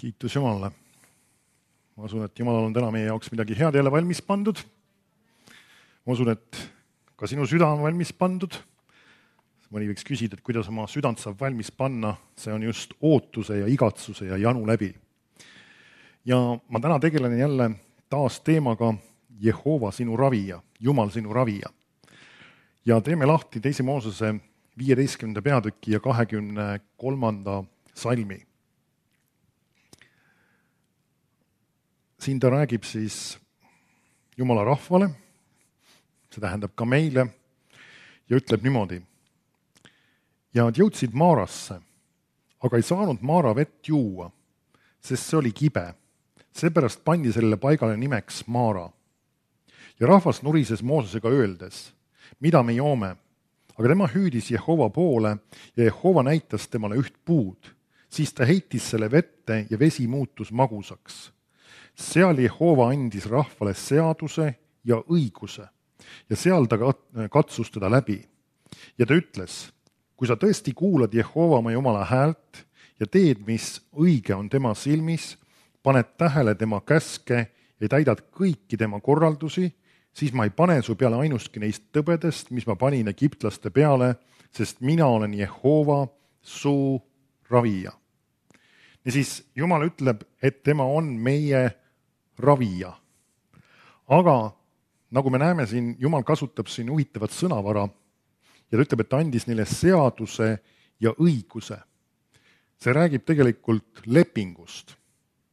Kiitus Jumalale. Ma usun, et Jumalal on täna meie jaoks midagi head jälle valmis pandud. Ma usun, et ka sinu süda on valmis pandud. Mõni võiks küsida, et kuidas oma südant saab valmis panna. See on just ootuse ja igatsuse ja janu läbi. Ja ma täna tegelen jälle taas teemaga Jehova sinu ravija, Jumal sinu ravija. Ja teeme lahti 2. Moosese 15. peatüki ja 23. salmi. Siin ta räägib siis Jumala rahvale, see tähendab ka meile, ja ütleb niimoodi. Ja nad jõudsid Maarasse, aga ei saanud Maara vett juua, sest see oli kibe. Seepärast pandi sellele paigale nimeks Maara. Ja rahvas nurises Moosesega öeldes, mida me joome? Aga tema hüüdis Jehova poole ja Jehova näitas temale üht puud. Siis ta heitis selle vette ja vesi muutus magusaks. Seal Jehova andis rahvale seaduse ja õiguse ja seal ta katsus teda läbi. Ja ta ütles, kui sa tõesti kuulad Jehova oma Jumala häält ja teed, mis õige on tema silmis, paned tähele tema käske ja täidad kõiki tema korraldusi, siis ma ei pane su peale ainustki neist tõbedest, mis ma panin egiptlaste peale, sest mina olen Jehova, su ravija. Ja siis Jumal ütleb, et tema on meie ravija. Aga nagu me näeme siin, Jumal kasutab siin huvitavat sõnavara ja ta ütleb, et ta andis neile seaduse ja õiguse. See räägib tegelikult lepingust.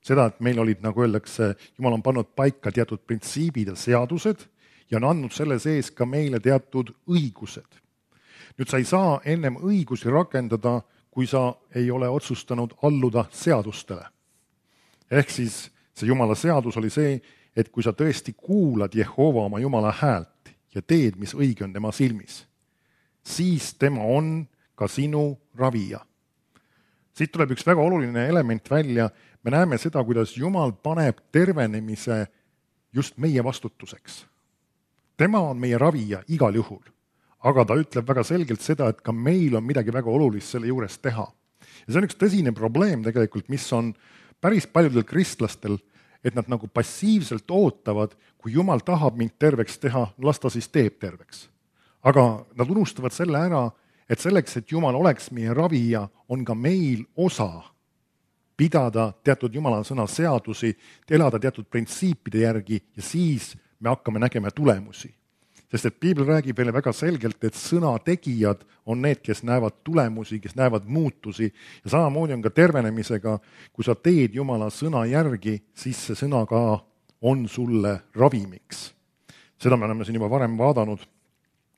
Seda, et meil olid, nagu öeldakse, Jumal on pannud paika teatud printsiibid ja seadused ja on andnud selle sees ka meile teatud õigused. Nüüd sa ei saa ennem õigusi rakendada, kui sa ei ole otsustanud alluda seadustele. Ehk siis see Jumala seadus oli see, et kui sa tõesti kuulad Jehova oma Jumala häält ja teed, mis õige on tema silmis, siis tema on ka sinu ravija. Siit tuleb üks väga oluline element välja. Me näeme seda, kuidas Jumal paneb tervenemise just meie vastutuseks. Tema on meie ravija igal juhul, aga ta ütleb väga selgelt seda, et ka meil on midagi väga olulist selle juures teha. Ja see on üks tõsine probleem tegelikult, mis on päris paljudel kristlastel, et nad nagu passiivselt ootavad, kui Jumal tahab mind terveks teha, las ta siis teeb terveks. Aga nad unustavad selle ära, et selleks, et Jumal oleks meie ravija, on ka meil osa pidada teatud Jumala sõna seadusi, elada teatud printsiipide järgi ja siis me hakkame nägema tulemusi. Sest et Piibel räägib meile väga selgelt, et sõna tegijad on need, kes näevad tulemusi, kes näevad muutusi ja samamoodi on ka tervenemisega, kui sa teed Jumala sõna järgi, siis see sõna ka on sulle ravimiks. Seda me oleme siin juba varem vaadanud.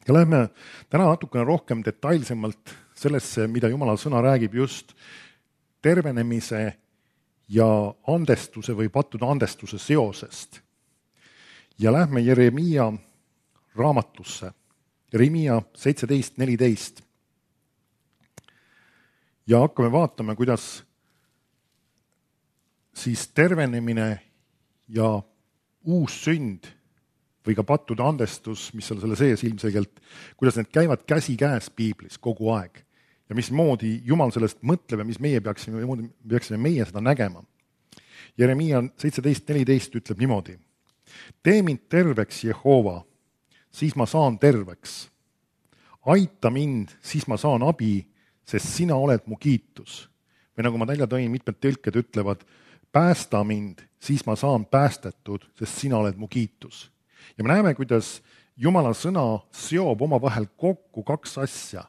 Ja lähme täna natukene rohkem detailsemalt sellesse, mida Jumala sõna räägib just tervenemise ja andestuse või pattude andestuse seosest. Ja lähme Jeremiia raamatusse, Jeremiia 17:14. Ja hakkame vaatama, kuidas siis tervenemine ja uus sünd või ka pattude andestus, mis on selle sees ilmselgelt, kuidas need käivad käsi käes Piiblis kogu aeg ja mismoodi Jumal sellest mõtleb ja mis meie peaksime meie seda nägema. Jeremiia 17:14 ütleb niimoodi. Tee mind terveks, Jehova, siis ma saan terveks. Aita mind, siis ma saan abi, sest sina oled mu kiitus. Või nagu ma välja tõin, mitmed tõlked ütlevad, päästa mind, siis ma saan päästetud, sest sina oled mu kiitus. Ja me näeme, kuidas Jumala sõna seob omavahel kokku kaks asja,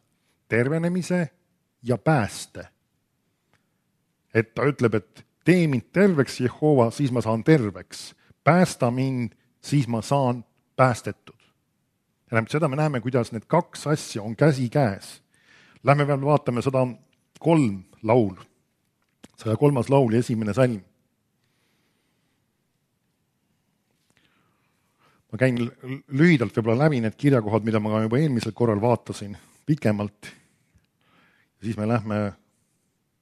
tervenemise ja pääste. Et ta ütleb, et tee mind terveks, Jehova, siis ma saan terveks. Päästa mind, siis ma saan päästetud. Ja seda me näeme, kuidas need kaks asja on käsi käes. Lähme veel vaatame 103 laul. 103. laul ja 1. salm. Ma käin lühidalt võib-olla läbi need kirjakohad, mida ma juba eelmisel korral vaatasin pikemalt. Ja siis me lähme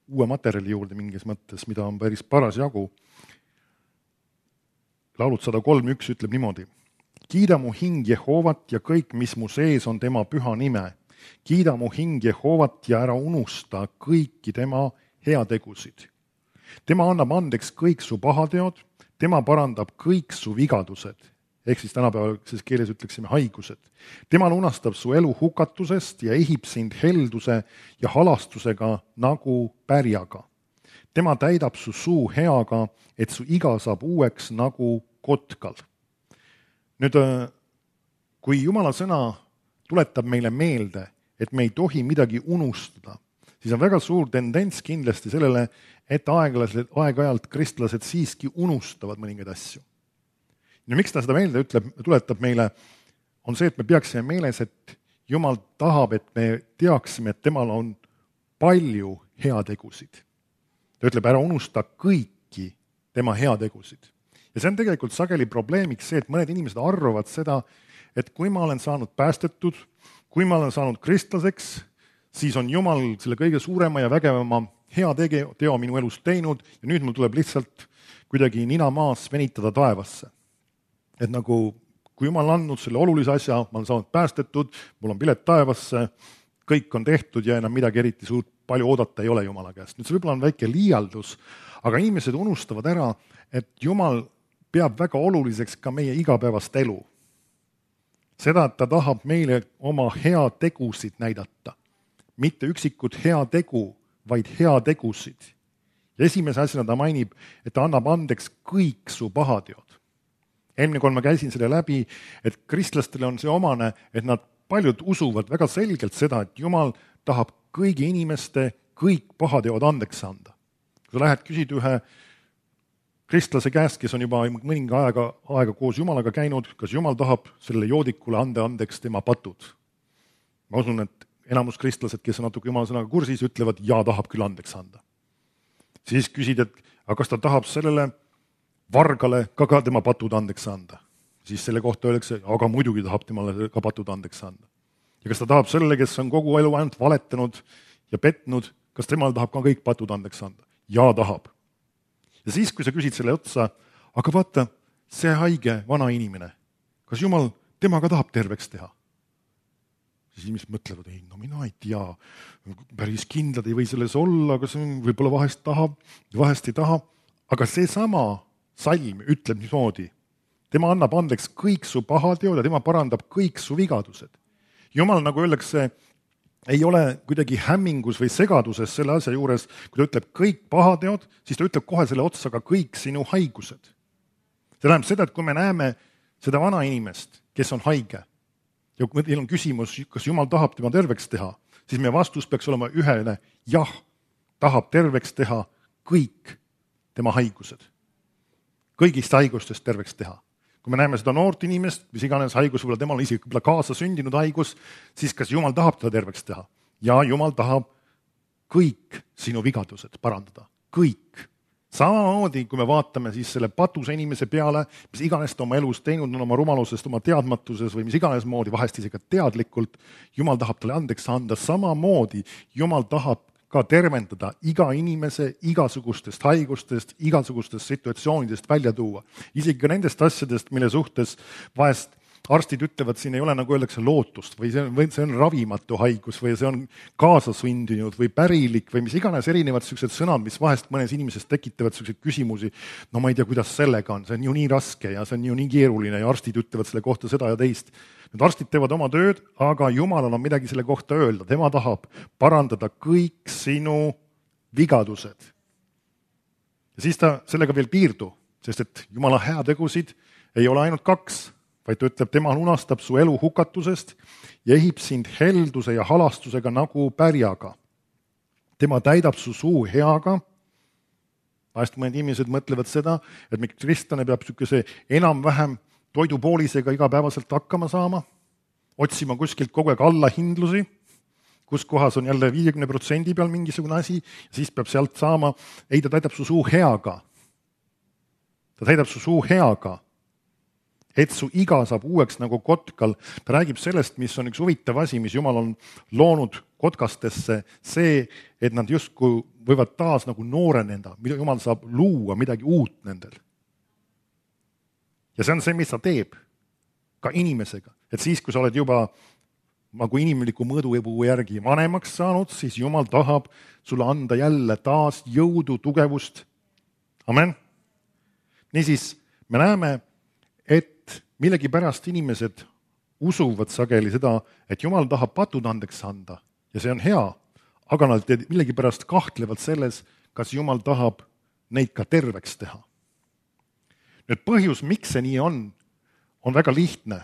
uue materjali juurde mingis mõttes, mida on päris paras jagu. Laulud 103:1 ütleb niimoodi. Kiida mu hing Jehovat ja kõik, mis mu sees on tema püha nime. Kiida mu hing Jehovat ja ära unusta kõiki tema heategusid. tema annab andeks kõik su pahateod, tema parandab kõik su vigadused, ehk siis tänapäevases keeles ütleksime haigused. tema lunastab su elu hukatusest ja ehib sind helduse ja halastusega nagu pärjaga. tema täidab su suu heaga, et su iga saab uueks nagu kotkal. Nüüd, kui Jumala sõna tuletab meile meelde, et me ei tohi midagi unustada, siis on väga suur tendents kindlasti sellele, et aeg-ajalt kristlased siiski unustavad mõningaid asju. ja miks ta seda meelde tuletab meile, on see, et me peaksime meeles, et Jumal tahab, et me teaksime, et temal on palju heategusid. ta ütleb, ära unusta kõiki tema heategusid. ja see on tegelikult sageli probleemiks see, et mõned inimesed arvavad seda, et kui ma olen saanud päästetud, kui ma olen saanud kristlaseks, siis on Jumal selle kõige suurema ja vägevama heateo minu elus teinud ja nüüd mul tuleb lihtsalt kuidagi nina maas venitada taevasse. Et nagu, kui Jumal on andnud selle olulise asja, ma olen saanud päästetud, mul on pilet taevasse, kõik on tehtud ja enam midagi eriti suurt palju oodata ei ole Jumala käest. Nüüd see võib-olla on väike liialdus, aga inimesed unustavad ära, et Jumal peab väga oluliseks ka meie igapäevast elu. Seda, et ta tahab meile oma heategusid näidata. Mitte üksikut heategu, vaid heategusid. Ja esimese asjana ta mainib, et ta annab andeks kõik su pahateod. Eelmine kord ma käisin selle läbi, et kristlastele on see omane, et nad paljud usuvad väga selgelt seda, et Jumal tahab kõigi inimeste kõik pahateod andeks anda. Kui sa lähed küsid ühe kristlase käest, kes on juba mõninga aega koos Jumalaga käinud, kas Jumal tahab sellele joodikule anda andeks tema patud? Ma usun, et enamus kristlased, kes on natuke Jumala sõnaga kursis, ütlevad, ja tahab küll andeks anda. Siis küsid, et aga kas ta tahab sellele vargale ka tema patud andeks anda? Siis selle kohta öeldakse, aga muidugi tahab temale ka patud andeks anda. Ja kas ta tahab sellele, kes on kogu elu ainult valetanud ja petnud, kas temal tahab ka kõik patud andeks anda? Ja tahab. Ja siis, kui sa küsid selle otsa, aga vaata, see haige vana inimene, kas Jumal temaga tahab terveks teha? Siis inimesed mõtlevad, ei, no mina ei tea, päris kindlad ei või selles olla, aga see võib-olla vahest tahab, vahest ei taha. Aga seesama salm ütleb niimoodi, tema annab andeks kõik su pahateod ja tema parandab kõik su vigadused. Jumal, nagu öeldakse, ei ole kuidagi hämmingus või segaduses selle asja juures, kui ta ütleb kõik pahateod, siis ta ütleb kohe selle otsa ka kõik sinu haigused. See tähendab seda, et kui me näeme seda vana inimest, kes on haige, ja kui meil on küsimus, kas Jumal tahab tema terveks teha, siis meie vastus peaks olema ühene, jah, tahab terveks teha kõik tema haigused. Kõigist haigustest terveks teha. Kui me näeme seda noort inimest, mis iganes haigus, võib-olla temal on isegi kaasa sündinud haigus, siis kas Jumal tahab teda terveks teha? Ja Jumal tahab kõik sinu vigadused parandada. Kõik. Samamoodi, kui me vaatame siis selle patuse inimese peale, mis iganes ta oma elus teinud on, oma rumalusest, oma teadmatuses või mis iganes moodi, vahest isegi teadlikult, Jumal tahab talle andeks anda. Samamoodi Jumal tahab ka tervendada iga inimese igasugustest haigustest, igasugustest situatsioonidest välja tuua. Isegi ka nendest asjadest, mille suhtes vahest arstid ütlevad, siin ei ole, nagu öeldakse, lootust või see on ravimatu haigus või see on kaasasündinud või pärilik või mis iganes erinevad sellised sõnad, mis vahest mõnes inimesest tekitavad selliseid küsimusi. No ma ei tea, kuidas sellega on, see on ju nii raske ja see on ju nii keeruline ja arstid ütlevad selle kohta seda ja teist. Need arstid teevad oma tööd, aga Jumalal on midagi selle kohta öelda. Tema tahab parandada kõik sinu vigadused. Ja siis ta sellega veel piirdu, sest et Jumala heategusid ei ole ainult 2, vaid ta ütleb, tema lunastab su elu hukatusest ja ehib sind helduse ja halastusega nagu pärjaga. Tema täidab su suu heaga. Vahest mõned inimesed mõtlevad seda, et miks kristlane peab niisuguse enam-vähem toidupoolisega igapäevaselt hakkama saama, otsima kuskilt kogu aeg allahindlusi, kus kohas on jälle 50% peal mingisugune asi, ja siis peab sealt saama, ei, ta täidab su suu heaga. Ta täidab su suu heaga, et su iga saab uueks nagu kotkal. Ta räägib sellest, mis on üks huvitav asi, mis Jumal on loonud kotkastesse, see, et nad justkui võivad taas nagu nooreneda, mida Jumal saab luua, midagi uut nendel. Ja see on see, mis ta teeb ka inimesega. Et siis, kui sa oled juba nagu inimliku mõõdupuu järgi vanemaks saanud, siis Jumal tahab sulle anda jälle taas jõudu, tugevust Amen. Niisiis, me näeme, et millegipärast inimesed usuvad sageli seda, et Jumal tahab patud andeks anda ja see on hea, aga nad millegipärast kahtlevad selles, kas Jumal tahab neid ka terveks teha. Nüüd põhjus, miks see nii on väga lihtne.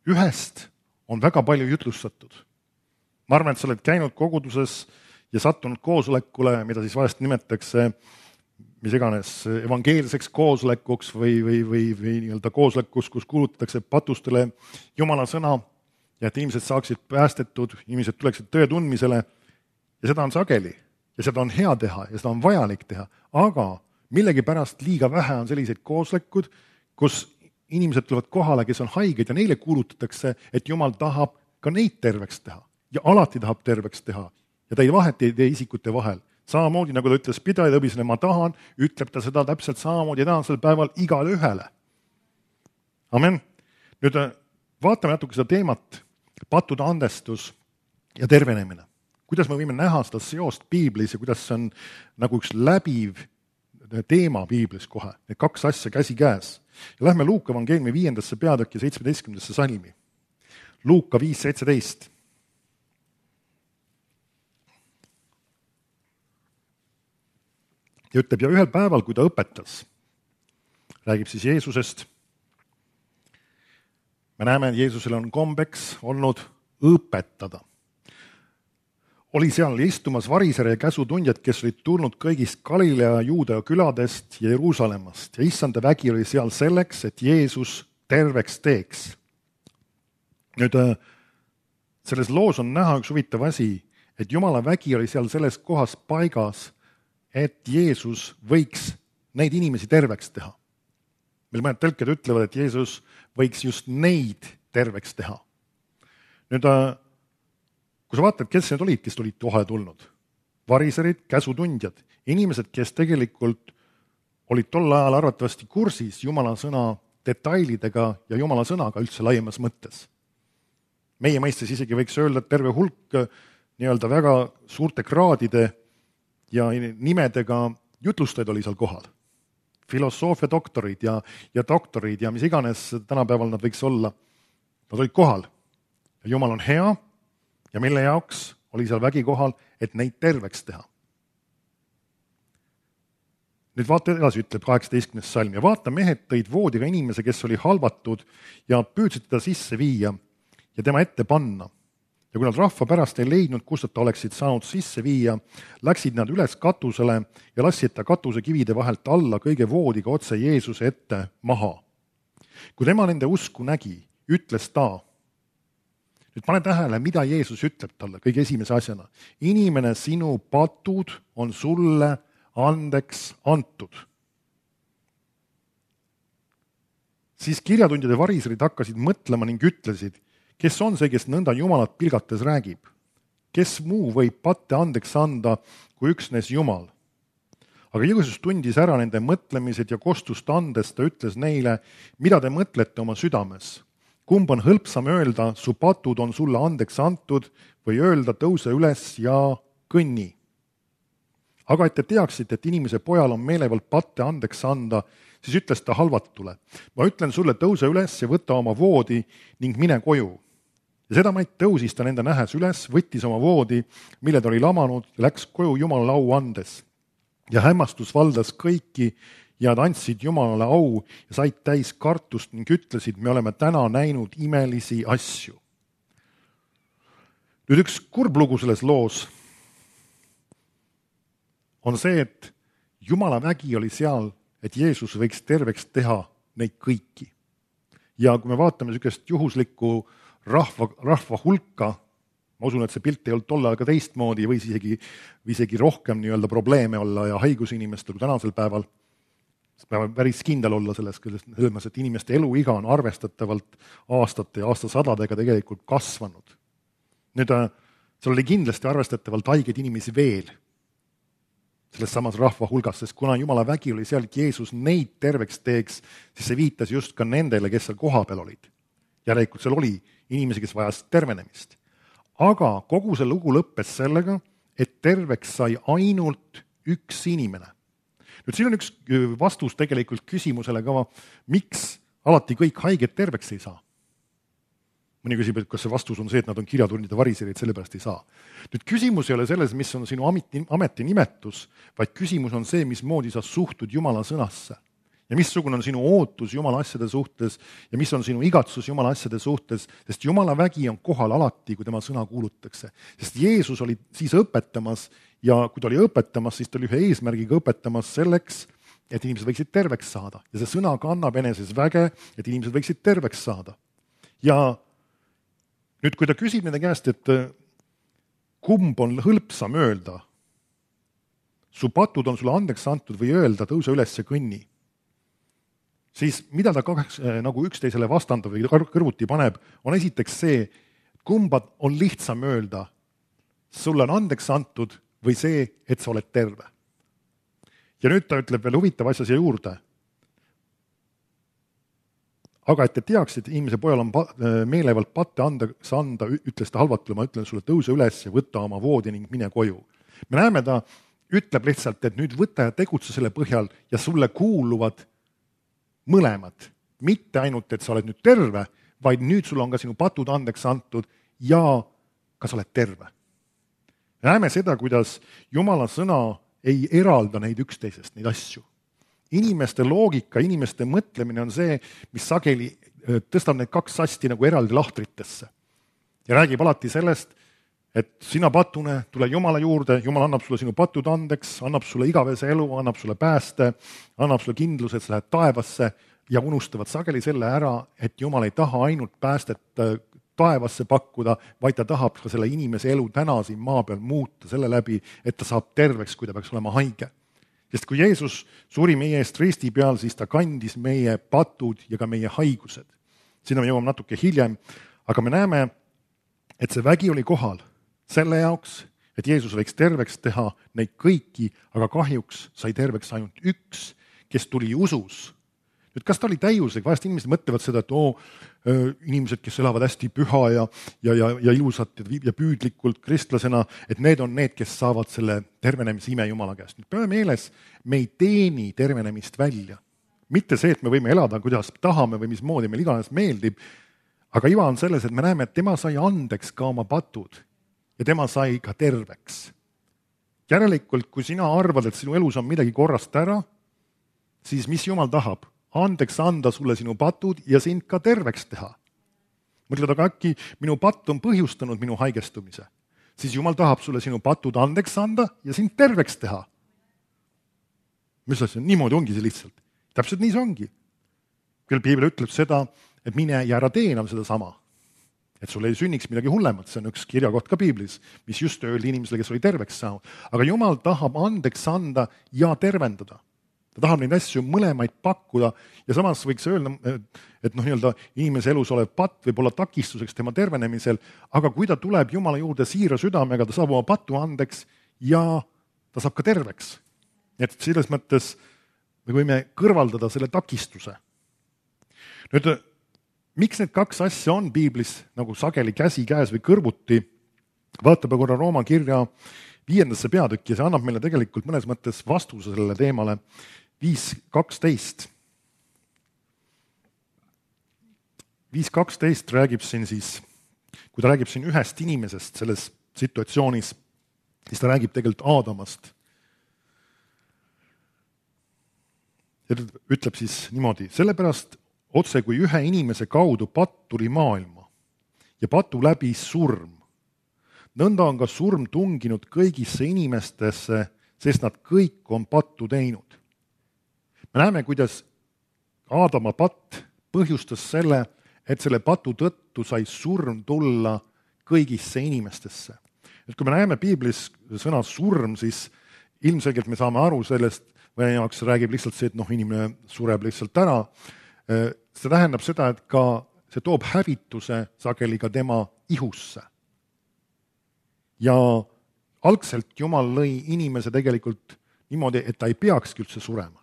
Ühest on väga palju jutlustatud. Ma arvan, et sa oled käinud koguduses ja sattunud koosolekule, mida siis vahest nimetatakse mis iganes evangeelseks koosolekuks või nii-öelda koosolekuks, kus kuulutatakse patustele Jumala sõna ja et inimesed saaksid päästetud, inimesed tuleksid tõe tundmisele ja seda on sageli ja seda on hea teha ja seda on vajalik teha, aga millegipärast liiga vähe on selliseid koosolekud, kus inimesed tulevad kohale, kes on haiged ja neile kuulutatakse, et Jumal tahab ka neid terveks teha ja alati tahab terveks teha ja ta ei vaheta ei tee isikute vahel. Samamoodi, nagu ta ütles pidaja õbisele, ma tahan, ütleb ta seda täpselt samamoodi tänasel päeval igale ühele. Amen. Nüüd vaatame natuke seda teemat, pattude andestus ja tervenemine. Kuidas me võime näha seda seost piiblis ja kuidas see on nagu üks läbiv teema piiblis kohe. Need kaks asja käsi käes. Ja lähme Luuka evangeeliumi 5. peatüki 17. salmi. Luuka 5.17. Ja ütleb, ja ühel päeval, kui ta õpetas, räägib siis Jeesusest. Me näeme, et Jeesusel on kombeks olnud õpetada. Oli seal istumas varisere ja käsutundjad, kes olid tulnud kõigist Galilea, Juudea küladest ja Jeruusalemmast. Ja issanda vägi oli seal selleks, et Jeesus terveks teeks. Nüüd, selles loos on näha üks huvitav asi, et Jumala vägi oli seal selles kohas paigas, et Jeesus võiks neid inimesi terveks teha. Meil mõned tõlked ütlevad, et Jeesus võiks just neid terveks teha. Nüüd, kui sa vaatad, kes need olid, kes olid kohale tulnud? Variserid, käsutundjad, inimesed, kes tegelikult olid tol ajal arvatavasti kursis Jumala sõna detailidega ja Jumala sõnaga üldse laiemas mõttes. Meie mõistes isegi võiks öelda, et terve hulk nii-öelda väga suurte kraadide ja nimedega jutlustajaid oli seal kohal. Filosoofia doktorid ja doktorid ja mis iganes tänapäeval nad võiks olla. Nad olid kohal. Ja Jumal on hea ja mille jaoks oli seal vägi kohal, et neid terveks teha. Nüüd vaata edasi, ütleb 18. salm. Ja vaata, mehed tõid voodiga inimese, kes oli halvatud ja püüdsid teda sisse viia ja tema ette panna. Ja kui nad rahva pärast ei leidnud, kust ta oleksid saanud sisse viia, läksid nad üles katusele ja lassid ta katuse kivide vahelt alla kõige voodiga otse Jeesuse ette maha. Kui tema nende usku nägi, ütles ta, nüüd pane tähele, mida Jeesus ütleb talle kõige esimese asjana. Inimene, sinu patud on sulle andeks antud. Siis kirjatundjad ja variserid hakkasid mõtlema ning ütlesid, kes on see, kes nõnda Jumalat pilgates räägib? Kes muu võib patte andeks anda, kui üksnes Jumal? Aga Jeesus tundis ära nende mõtlemised ja kostust andes ta ütles neile, mida te mõtlete oma südames? Kumb on hõlpsam öelda, su patud on sulle andeks antud või öelda, tõuse üles ja kõnni? Aga et te teaksite, et inimese pojal on meelevald patte andeks anda, siis ütles ta halvatule, ma ütlen sulle, tõuse üles ja võta oma voodi ning mine koju. Ja seda maid tõusis ta nende nähes üles, võttis oma voodi, mille ta oli lamanud ja läks koju Jumalale au andes. Ja hämmastus valdas kõiki ja nad andsid Jumalale au ja said täis kartust ning ütlesid, me oleme täna näinud imelisi asju. Nüüd üks kurb lugu selles loos on see, et Jumala vägi oli seal, et Jeesus võiks terveks teha neid kõiki. Ja kui me vaatame niisugust juhuslikku rahva hulka, ma usun, et see pilt ei olnud tol ajal ka teistmoodi, võis isegi rohkem nii-öelda probleeme olla ja haigusinimestel kui tänasel päeval. Peab päris kindel olla selles, et inimeste eluiga on arvestatavalt aastate ja aastasadadega tegelikult kasvanud. Nüüd seal oli kindlasti arvestatavalt haigeid inimesi veel selles samas rahva hulgas, sest kuna Jumala vägi oli seal, et Jeesus neid terveks teeks, siis see viitas just ka nendele, kes seal kohapeal olid. Järelikult seal oli inimesi, kes vajas tervenemist. Aga kogu see lugu lõppes sellega, et terveks sai ainult üks inimene. nüüd siin on üks vastus tegelikult küsimusele ka, miks alati kõik haiged terveks ei saa. Mõni küsib, et kas see vastus on see, et nad on kirjatundide variserid, sellepärast ei saa. Nüüd küsimus ei ole selles, mis on sinu ametinimetus, vaid küsimus on see, mismoodi sa suhtud Jumala sõnasse. Ja missugune on sinu ootus Jumala asjade suhtes ja mis on sinu igatsus Jumala asjade suhtes, sest Jumala vägi on kohal alati, kui tema sõna kuulutakse. Sest Jeesus oli siis õpetamas ja kui ta oli õpetamas, siis ta oli ühe eesmärgiga õpetamas selleks, et inimesed võiksid terveks saada. Ja see sõna kannab eneses väge, et inimesed võiksid terveks saada. Ja nüüd, kui ta küsib nende käest, et kumb on hõlpsam öelda, su patud on sulle andeks antud või öelda, tõuse üles ja kõnni, siis mida ta nagu üksteisele vastandab või kõrvuti paneb, on esiteks see, kumba on lihtsam öelda, sulle on andeks antud või see, et sa oled terve. Ja nüüd ta ütleb veel huvitav asja siia juurde. Aga et te teaksid, inimese pojal on meelevalt patte andeks anda, ütles ta halvatule, ma ütlen sulle, tõuse üles ja võta oma voodi ning mine koju. Me näeme, ta ütleb lihtsalt, et nüüd võta ja tegutse selle põhjal ja sulle kuuluvad mõlemad. Mitte ainult, et sa oled nüüd terve, vaid nüüd sul on ka sinu patud andeks antud ja ka sa oled terve. Näeme seda, kuidas Jumala sõna ei eralda neid üksteisest, neid asju. Inimeste loogika, inimeste mõtlemine on see, mis sageli tõstab need kaks asti nagu eraldi lahtritesse. Ja räägib alati sellest, et sina patune, tule Jumala juurde, Jumal annab sulle sinu patud andeks, annab sulle igavese elu, annab sulle pääste, annab sulle kindluse, et sa lähed taevasse ja unustavad sageli selle ära, et Jumal ei taha ainult päästet taevasse pakkuda, vaid ta tahab ka selle inimese elu täna siin maa peal muuta selle läbi, et ta saab terveks, kui ta peaks olema haige. Sest kui Jeesus suri meie eest risti peal, siis ta kandis meie patud ja ka meie haigused. Sinna me jõuame natuke hiljem, aga me näeme, et see vägi oli kohal selle jaoks, et Jeesus võiks terveks teha neid kõiki, aga kahjuks sai terveks ainult üks, kes tuli usus. Nüüd, kas ta oli täiuslik? Vahest inimesed mõtlevad seda, et inimesed, kes elavad hästi püha ja ilusat ja püüdlikult kristlasena, et need on need, kes saavad selle tervenemise ime Jumala käest. Nüüd peame meeles, me ei teeni tervenemist välja. Mitte see, et me võime elada, kuidas tahame või mismoodi meil iganes meeldib, aga iva on selles, et me näeme, et tema sai andeks ka oma patud ja tema sai ka terveks. Järelikult, kui sina arvad, et sinu elus on midagi korrast ära, siis mis Jumal tahab? Andeks anda sulle sinu patud ja sind ka terveks teha. Mõtled, aga äkki minu patt on põhjustanud minu haigestumise. Siis Jumal tahab sulle sinu patud andeks anda ja sind terveks teha. Mis asja? Niimoodi ongi see lihtsalt. Täpselt nii see ongi. Küll Piibel ütleb seda, et mine ja ära tee enam seda sama. Et sul ei sünniks midagi hullemat. See on üks kirjakoht ka Piiblis, mis just öeldi inimesele, kes oli terveks saanud. Aga Jumal tahab andeks anda ja tervendada. Ta tahab neid asju mõlemaid pakkuda ja samas võiks öelda, et inimese elus olev patt võib olla takistuseks tema tervenemisel, aga kui ta tuleb Jumala juurde siira südamega, ta saab oma patu andeks ja ta saab ka terveks. Et selles mõttes me võime kõrvaldada selle takistuse. Nüüd, miks need kaks asja on Piiblis nagu sageli käsi käes või kõrvuti? Vaatame korra Rooma kirja 5. peatükki ja see annab meile tegelikult mõnes mõttes vastuse sellele teemale. 5.12. 5.12 räägib siin siis, kui ta räägib siin ühest inimesest selles situatsioonis, siis ta räägib tegelikult Aadamast. Ja ütleb siis niimoodi, sellepärast otse kui ühe inimese kaudu patt tuli maailma ja patu läbi surm. Nõnda on ka surm tunginud kõigisse inimestesse, sest nad kõik on pattu teinud. Me näeme, kuidas Aadama patt põhjustas selle, et selle patu tõttu sai surm tulla kõigisse inimestesse. Et kui me näeme Piiblis sõna surm, siis ilmselgelt me saame aru sellest, või jaoks räägib lihtsalt see, et inimene sureb lihtsalt ära. See tähendab seda, et ka see toob hävituse sageli ka tema ihusse. Ja algselt Jumal lõi inimese tegelikult niimoodi, et ta ei peakski üldse surema.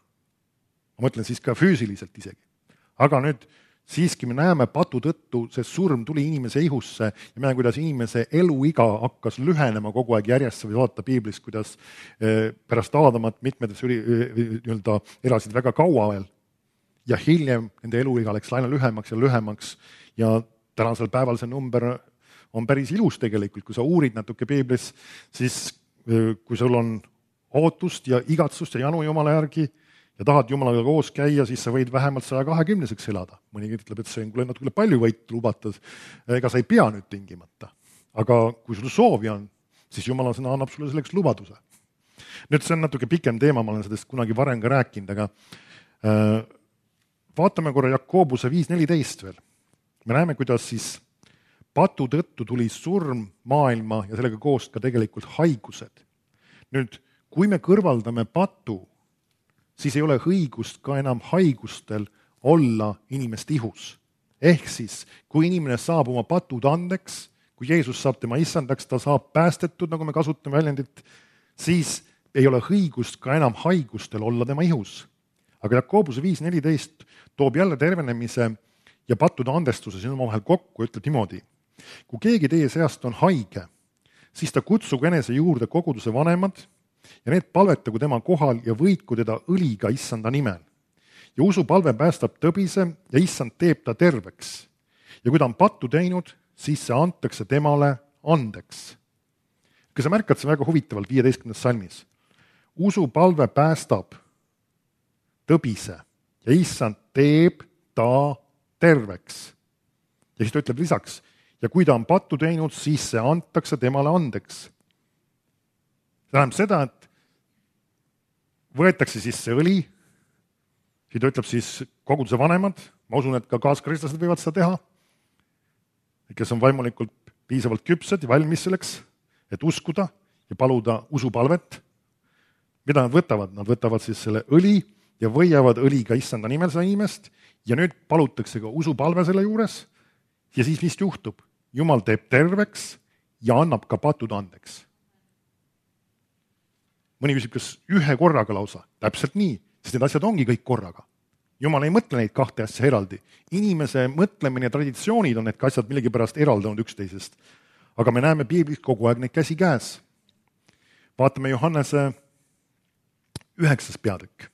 Ma mõtlen siis ka füüsiliselt isegi. Aga nüüd siiski me näeme patu tõttu, see surm tuli inimese ihusse ja me näeme, kuidas inimese eluiga hakkas lühenema kogu aeg järjest, sa võid vaadata piiblist, kuidas pärast Aadamat mitmed nii-öelda elasid väga kaua veel ja hiljem nende eluiga läks aina lühemaks ja tänasel päeval see number on päris ilus tegelikult, kui sa uurid natuke piiblis, siis kui sul on ootust ja igatsust ja janu Jumala järgi ja tahad Jumalaga koos käia, siis sa võid vähemalt 120-seks elada. Mõni ütleb, et see on natuke palju võitu lubatud, ega sa ei pea nüüd tingimata. Aga kui sul soovi on, siis Jumala sõna annab sulle selleks lubaduse. Nüüd see on natuke pikem teema, ma olen sellest kunagi varem ka rääkinud, aga vaatame korra Jakobuse 5.14 veel. Me näeme, kuidas siis patu tõttu tuli surm maailma ja sellega koos ka tegelikult haigused. Nüüd, kui me kõrvaldame patu, siis ei ole õigust ka enam haigustel olla inimeste ihus. Ehk siis, kui inimene saab oma patud andeks, kui Jeesus saab tema issandaks, ta saab päästetud, nagu me kasutame väljendit, siis ei ole õigust ka enam haigustel olla tema ihus. Aga Jakobuse 5.14 toob jälle tervenemise ja pattude andestuse siin omavahel kokku ja ütleb niimoodi. Kui keegi teie seast on haige, siis ta kutsugu enese juurde koguduse vanemad ja need palvetagu tema kohal ja võitku teda õliga issanda nimel. Ja usupalve päästab tõbise ja issand teeb ta terveks. Ja kui ta on pattu teinud, siis see antakse temale andeks. Kui sa märkad, see väga huvitavalt 15. salmis. Usupalve päästab tõbise ja issand teeb ta terveks. Ja siis ta ütleb lisaks, ja kui ta on pattu teinud, siis see antakse temale andeks. See tähendab seda, et võetakse siis see õli, siis ta ütleb siis koguduse vanemad, ma usun, et ka kaaskristlased võivad seda teha, kes on vaimulikult piisavalt küpsed ja valmis selleks, et uskuda ja paluda usupalvet. Mida nad võtavad? Nad võtavad siis selle õli ja võiavad õliga issanda nimel seda inimest ja nüüd palutakse ka usupalve selle juures ja siis mis juhtub? Jumal teeb terveks ja annab ka patud andeks. Mõni küsib, kas ühe korraga lausa? Täpselt nii, sest need asjad ongi kõik korraga. Jumal ei mõtle neid kahte asja eraldi. Inimese mõtlemine ja traditsioonid on need asjad millegipärast eraldanud üksteisest. Aga me näeme piiblis kogu aeg neid käsi käes. Vaatame Johannese 9. peatükk.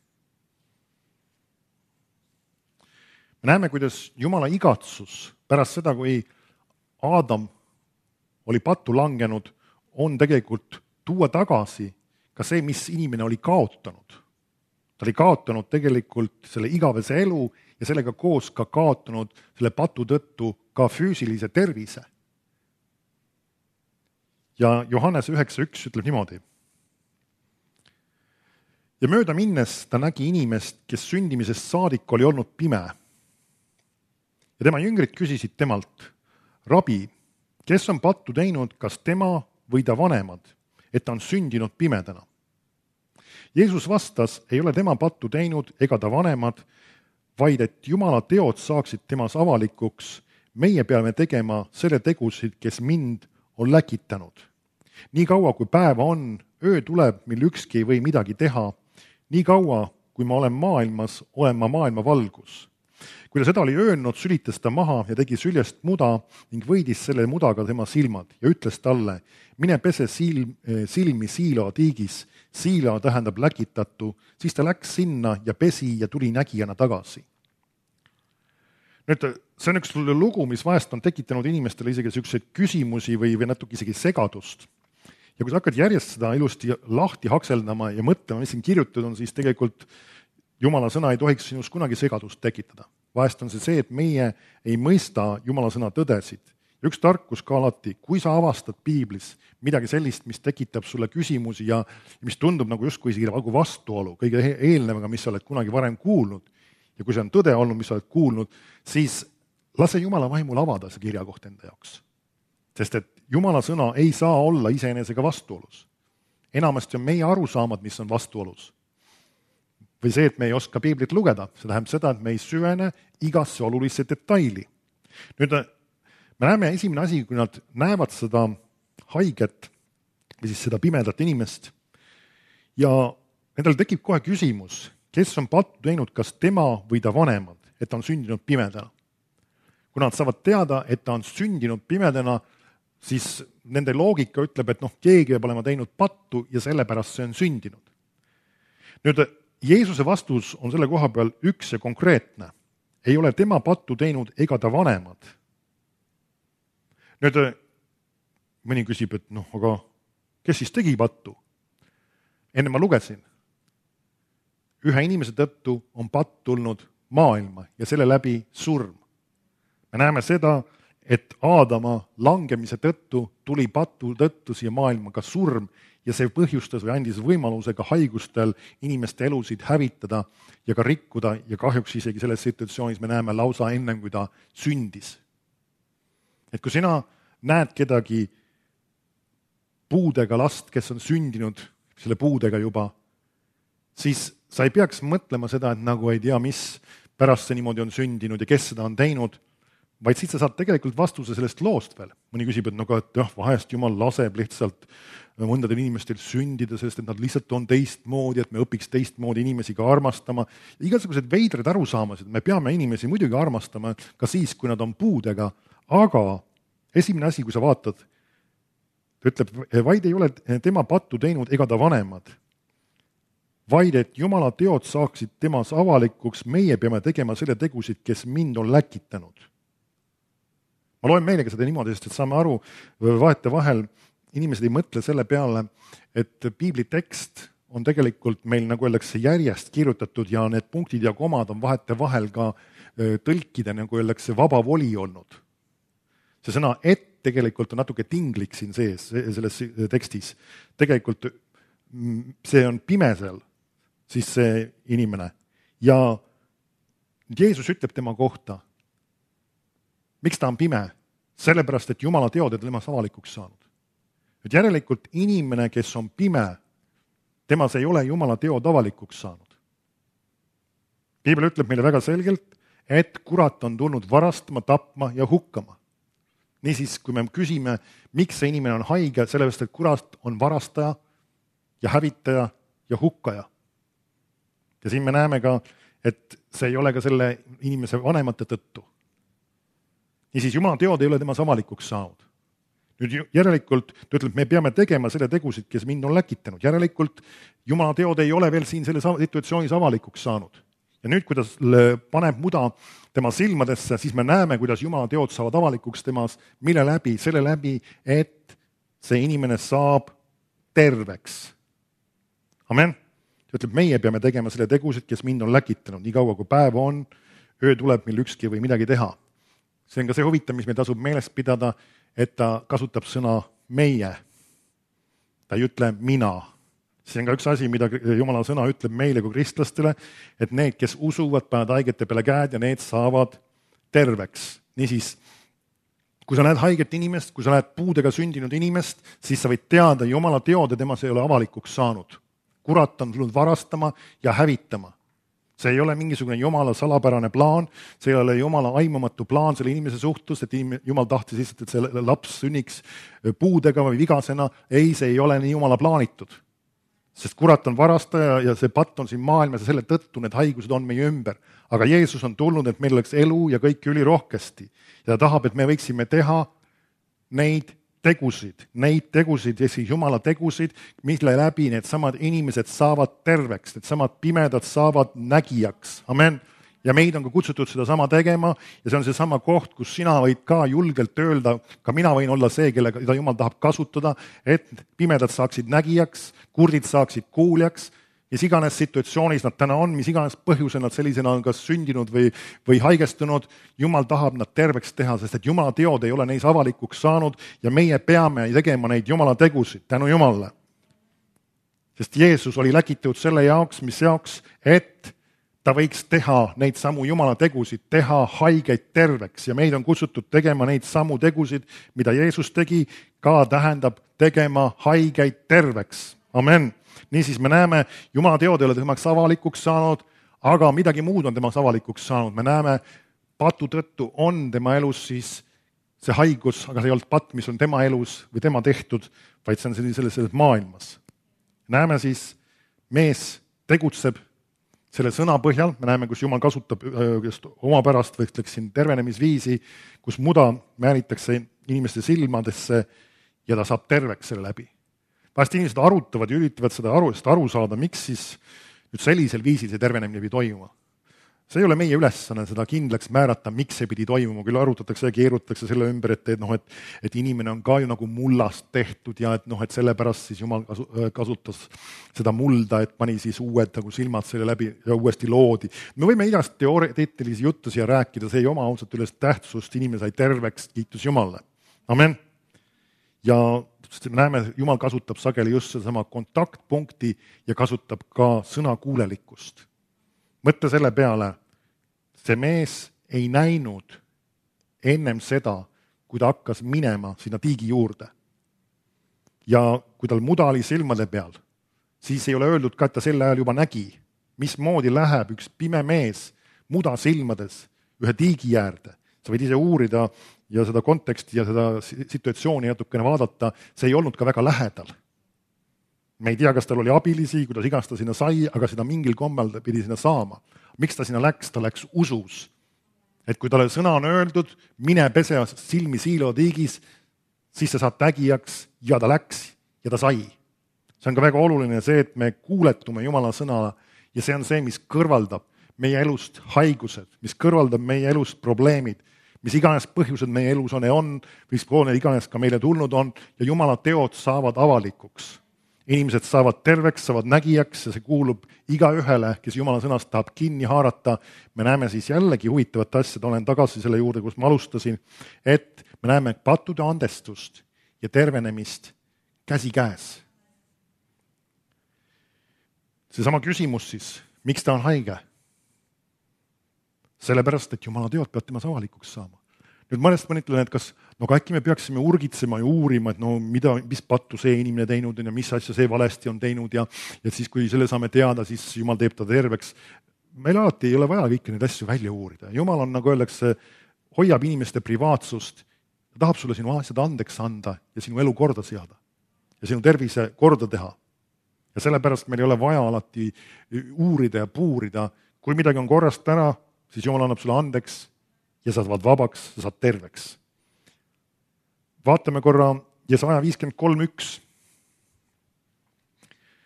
Me näeme, kuidas Jumala igatsus pärast seda, kui Aadam oli pattu langenud, on tegelikult tuua tagasi ka see, mis inimene oli kaotanud. Ta oli kaotanud tegelikult selle igavese elu ja sellega koos ka kaotanud selle patu tõttu ka füüsilise tervise. Ja Johannes 9.1 ütleb niimoodi. Ja mööda minnes ta nägi inimest, kes sündimisest saadik oli olnud pime. Ja tema jüngrid küsisid temalt, Rabi, kes on pattu teinud, kas tema või ta vanemad, et ta on sündinud pimedana? Jeesus vastas, ei ole tema pattu teinud ega ta vanemad, vaid et Jumala teod saaksid temas avalikuks, meie peame tegema selle tegusid, kes mind on läkitanud. Nii kaua, kui päeva on, öö tuleb, mil ükski ei või midagi teha, nii kaua, kui ma olen maailmas, olen ma maailma valgus. Kui ta seda oli öelnud, sülitas ta maha ja tegi süljest muda ning võidis selle mudaga tema silmad ja ütles talle, mine pese silmi Siiloa tiigis, Siiloa tähendab läkitatu, siis ta läks sinna ja pesi ja tuli nägijana tagasi. Nüüd, see on üks lugu, mis vahest on tekitanud inimestele isegi selliseid küsimusi või natuke isegi segadust. Ja kui sa hakkad järjest seda ilusti lahti hakseldama ja mõtlema, mis siin kirjutatud on, siis tegelikult Jumala sõna ei tohiks sinus kunagi segadust tekitada. Vahest on see, et meie ei mõista Jumala sõna tõdesid. Üks tarkus ka alati, kui sa avastad piiblis midagi sellist, mis tekitab sulle küsimusi ja mis tundub nagu justkui isegi nagu vastuolu kõige eelnevaga, mis sa oled kunagi varem kuulnud, ja kui see on tõde olnud, mis sa oled kuulnud, siis lase Jumala vaimul avada see kirjakoht enda jaoks. Sest et Jumala sõna ei saa olla iseenesega vastuolus. Enamasti on meie arusaamad, mis on vastuolus. Või see, et me ei oska piiblit lugeda, see tähendab seda, et me ei süvene igasse olulisse detaili. Nüüd me näeme esimene asi, kui nad näevad seda haiget või siis seda pimedat inimest ja nendel tekib kohe küsimus, kes on pattu teinud, kas tema või ta vanemad, et ta on sündinud pimedana. Kui nad saavad teada, et ta on sündinud pimedana, siis nende loogika ütleb, et keegi peab olema teinud pattu ja sellepärast see on sündinud. Nüüd, Jeesuse vastus on selle koha peal üks ja konkreetne. Ei ole tema pattu teinud ega ta vanemad. Nüüd, mõni küsib, et aga kes siis tegi pattu? Enne ma lugesin. Ühe inimese tõttu on patt tulnud maailma ja selle läbi surm. Me näeme seda, et Aadama langemise tõttu tuli patu tõttu siia maailma ka surm ja see põhjustas või andis võimaluse ka haigustel inimeste elusid hävitada ja ka rikkuda ja kahjuks isegi selles situatsioonis me näeme lausa ennem, kui ta sündis. Et kui sina näed kedagi puudega last, kes on sündinud selle puudega juba, siis sa ei peaks mõtlema seda, et nagu ei tea, mis pärast see niimoodi on sündinud ja kes seda on teinud, vaid siit sa saad tegelikult vastuse sellest loost veel. Mõni küsib, et vahest Jumal laseb lihtsalt mõndadel inimestel sündida, sest et nad lihtsalt on teistmoodi, et me õpiks teistmoodi inimesi ka armastama. Igasugused veidrad arusaamised, me peame inimesi muidugi armastama ka siis, kui nad on puudega, aga esimene asi, kui sa vaatad, ta ütleb, vaid ei ole tema pattu teinud ega ta vanemad, vaid et Jumala teod saaksid temas avalikuks, meie peame tegema selle tegusid, kes mind on läkitanud. Ma loen meelega seda niimoodi, sest et saame aru, vahetevahel inimesed ei mõtle selle peale, et piibli tekst on tegelikult meil, nagu öeldakse, järjest kirjutatud ja need punktid ja komad on vahetevahel ka tõlkida, nagu öeldakse, vaba voli olnud. See sõna et tegelikult on natuke tinglik siin sees, selles tekstis. Tegelikult see on pimesel, siis see inimene. Ja Jeesus ütleb tema kohta, miks ta on pime? Sellepärast, et Jumala teod on temas avalikuks saanud. Et järelikult inimene, kes on pime, temas ei ole Jumala teod avalikuks saanud. Piibel ütleb meile väga selgelt, et kurat on tulnud varastama, tapma ja hukkama. Niisiis, kui me küsime, miks see inimene on haige, sellepärast, et kurat on varastaja ja hävitaja ja hukkaja. Ja siin me näeme ka, et see ei ole ka selle inimese vanemate tõttu. Niisiis, Jumala teod ei ole temas avalikuks saanud. Nüüd järelikult, ta ütleb, me peame tegema selle tegusid, kes mind on läkitanud. Järelikult, Jumala teod ei ole veel siin selles situatsioonis avalikuks saanud. Ja nüüd, kui ta paneb muda tema silmadesse, siis me näeme, kuidas Jumala teod saavad avalikuks temas, mille läbi, selle läbi, et see inimene saab terveks. Amen. Ta ütleb, meie peame tegema selle tegusid, kes mind on läkitanud. Nii kaua, kui päev on, öö tuleb, mil ükski või midagi teha. See on ka see huvitav, mis meil tasub meelest pidada, et ta kasutab sõna meie. Ta ei ütle mina. See on ka üks asi, mida Jumala sõna ütleb meile kui kristlastele, et need, kes usuvad, panevad haigete peale käed ja need saavad terveks. Niisiis, kui sa näed haiget inimest, kui sa näed puudega sündinud inimest, siis sa võid teada, Jumala teod ja temas ei ole avalikuks saanud. Kurat on tulnud varastama ja hävitama. See ei ole mingisugune Jumala salapärane plaan, see ei ole Jumala aimamatu plaan selle inimese suhtus, et Jumal tahtis lihtsalt, et see laps sünniks puudega või vigasena. Ei, see ei ole nii Jumala plaanitud. Sest kurat on varastaja ja see patt on siin maailmas ja selle tõttu need haigused on meie ümber. Aga Jeesus on tulnud, et meil oleks elu ja kõik ülirohkesti. Ja ta tahab, et me võiksime teha neid tegusid ja siis Jumala tegusid, mille läbi need samad inimesed saavad terveks, need samad pimedad saavad nägijaks. Amen. Ja meid on ka kutsutud seda sama tegema ja see on see sama koht, kus sina võid ka julgelt öelda, ka mina võin olla see, kellega Jumal tahab kasutada, et pimedad saaksid nägijaks, kurdid saaksid kuuljaks, mis iganes situatsioonis nad täna on, mis iganes põhjusel nad sellisena on kas sündinud või haigestunud, Jumal tahab nad terveks teha, sest et Jumala teod ei ole neis avalikuks saanud ja meie peame tegema neid Jumala tegusid, tänu Jumalale. Sest Jeesus oli läkitatud selle jaoks, mis jaoks, et ta võiks teha neid samu Jumala tegusid, teha haigeid terveks ja meid on kutsutud tegema neid samu tegusid, mida Jeesus tegi, ka tähendab tegema haigeid terveks. Amen. Niisiis me näeme, Jumala teod ei ole temaks avalikuks saanud, aga midagi muud on temaks avalikuks saanud. Me näeme, patu tõttu on tema elus siis see haigus, aga see ei olnud patt, mis on tema elus või tema tehtud, vaid see on selles maailmas. Näeme siis, mees tegutseb selle sõna põhjal me näeme, kus Jumal kasutab just omapärast või ütleksin tervenemisviisi, kus muda määritakse inimeste silmadesse ja ta saab terveks selle läbi. Vahest inimesed arutavad ja üritavad seda aru saada, miks siis nüüd sellisel viisil see tervenemine pidi toimuma. See ei ole meie ülesanne seda kindlaks määrata, miks see pidi toimuma, küll arutatakse ja keerutatakse selle ümber, et inimene on ka ju nagu mullast tehtud ja et sellepärast siis Jumal kasutas seda mulda, et pani siis uued nagu silmad selle läbi ja uuesti loodi. Me võime igast teoreetilisi juttu siia rääkida, see ei oma ausalt üles tähtsust, inimene sai terveks, kiitus Jumalale. Amen. Ja me näeme, Jumal kasutab sageli just sedasama kontaktpunkti ja kasutab ka sõnakuulelikkust. Mõtle selle peale, see mees ei näinud ennem seda, kui ta hakkas minema sinna tiigi juurde. Ja kui tal muda oli silmade peal, siis ei ole öeldud ka, et ta sel ajal juba nägi, mismoodi läheb üks pime mees muda silmades ühe tiigi äärde. Sa võid ise uurida ja seda konteksti ja seda situatsiooni natukene vaadata, see ei olnud ka väga lähedal. Me ei tea, kas tal oli abilisi, kuidas iganes ta sinna sai, aga seda mingil kombel ta pidi sinna saama. Miks ta sinna läks? Ta läks usus. Et kui talle sõna on öeldud, mine pese silmi siilotiigis, siis sa saad tägijaks ja ta läks ja ta sai. See on ka väga oluline see, et me kuuletume Jumala sõnale ja see on see, mis kõrvaldab meie elust haigused, mis kõrvaldab meie elust probleemid, mis iganes põhjused meie elus on, mis iganes ka meile tulnud on ja Jumala teod saavad avalikuks. Inimesed saavad terveks, saavad nägijaks ja see kuulub igaühele, kes Jumala sõnast tahab kinni haarata. Me näeme siis jällegi huvitavat asja, olen tagasi selle juurde, kus ma alustasin, et me näeme pattude andestust ja tervenemist käsikäes. Seesama küsimus siis, miks ta on haige? Sellepärast, et Jumala teod peavad temas avalikuks saama. Nüüd mõnest mõnitlen, et kas äkki me peaksime urgitsema ja uurima, et mis pattu see inimene teinud on ja mis asja see valesti on teinud ja siis, kui selle saame teada, siis Jumal teeb ta terveks. Meil alati ei ole vaja kõiki neid asju välja uurida. Jumal on, nagu öeldakse, hoiab inimeste privaatsust ja tahab sulle sinu asjad andeks anda ja sinu elu korda seada ja sinu tervise korda teha. Ja sellepärast meil ei ole vaja alati uurida ja puurida. Kui midagi on korrast ära, siis Jumal annab sulle andeks ja sa saad vabaks, sa saad terveks. Vaatame korra Jesaja 53:1.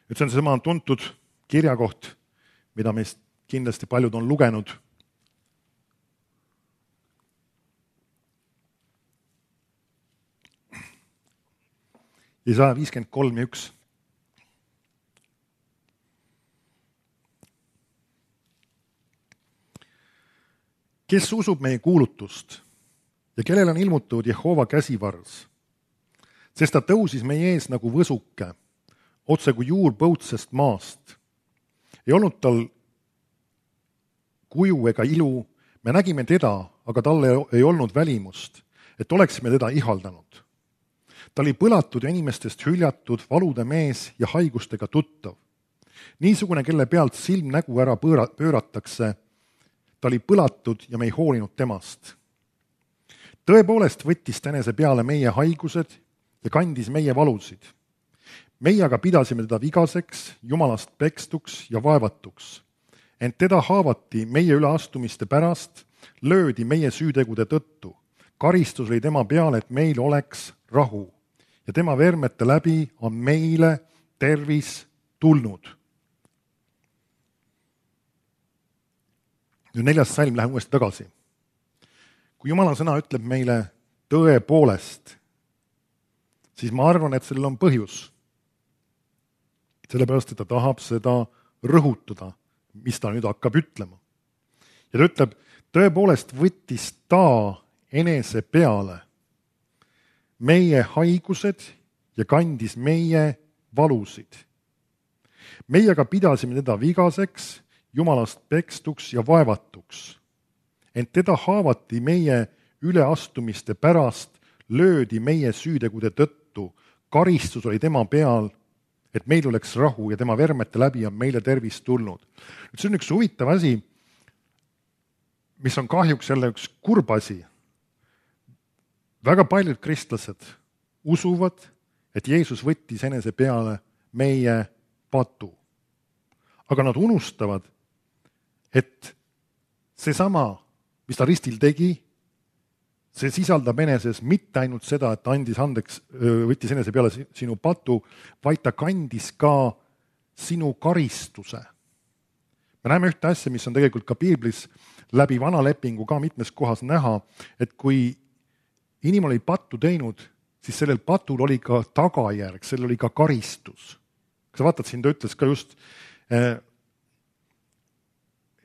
See on seesama tuntud kirjakoht, mida meist kindlasti paljud on lugenud. Jesaja 53:1. Kes usub meie kuulutust ja kellel on ilmutatud Jehova käsivars, sest ta tõusis meie ees nagu võsuke, otse kui juur põutsest maast. Ei olnud tal kuju ega ilu, me nägime teda, aga talle ei olnud välimust, et oleksime teda ihaldanud. Ta oli põlatud ja inimestest hüljatud, valude mees ja haigustega tuttav. Niisugune, kelle pealt silm nägu ära pööratakse, ta oli põlatud ja me ei hoolinud temast. Tõepoolest võttis ta enese peale meie haigused ja kandis meie valusid. Meie aga pidasime teda vigaseks, Jumalast pekstuks ja vaevatuks. Ent teda haavati meie üleastumiste pärast, löödi meie süütegude tõttu. Karistus oli tema peale, et meil oleks rahu. Ja tema vermete läbi on meile tervis tulnud. Nüüd 4. salm, lähen uuesti tagasi. Kui Jumala sõna ütleb meile tõepoolest, siis ma arvan, et sellel on põhjus. Sellepärast, et ta tahab seda rõhutada, mis ta nüüd hakkab ütlema. Ja ta ütleb, tõepoolest võttis ta enese peale meie haigused ja kandis meie valusid. Meie aga pidasime teda vigaseks, Jumalast pekstuks ja vaevatuks. Ent teda haavati meie üleastumiste pärast, löödi meie süütegude tõttu. Karistus oli tema peal, et meil oleks rahu ja tema vermete läbi on meile tervis tulnud. See on üks huvitav asi, mis on kahjuks jälle üks kurb asi. Väga paljud kristlased usuvad, et Jeesus võttis enese peale meie patu. Aga nad unustavad, et seesama, mis ta ristil tegi, see sisaldab eneses mitte ainult seda, et ta andis andeks, võttis enese peale sinu patu, vaid ta kandis ka sinu karistuse. Me näeme ühte asja, mis on tegelikult ka piiblis läbi vana lepingu ka mitmes kohas näha, et kui inimene oli pattu teinud, siis sellel patul oli ka tagajärg, sellel oli ka karistus. Kui sa vaatad siin, ta ütles ka just,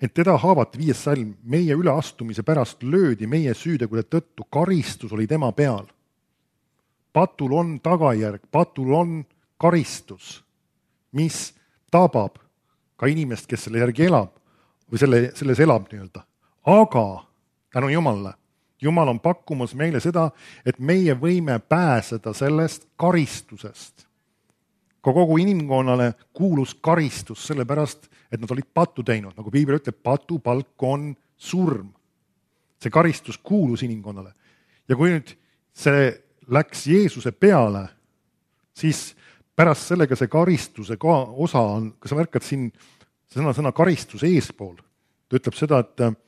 et teda haavati 5. salm, meie üleastumise pärast löödi meie süütegude tõttu, karistus oli tema peal. Patul on tagajärg, patul on karistus, mis tabab ka inimest, kes selle järgi elab või selles elab nii-öelda. Aga tänu Jumalale, Jumal on pakkumas meile seda, et meie võime pääseda sellest karistusest. Kogu inimkonnale kuulus karistus sellepärast, et nad olid pattu teinud. Nagu piibel ütleb, patu palk on surm. See karistus kuulus inimkonnale. Ja kui nüüd see läks Jeesuse peale, siis pärast sellega see karistuse osa on, kui sa märkad siin sõna karistus eespool, ta ütleb seda, et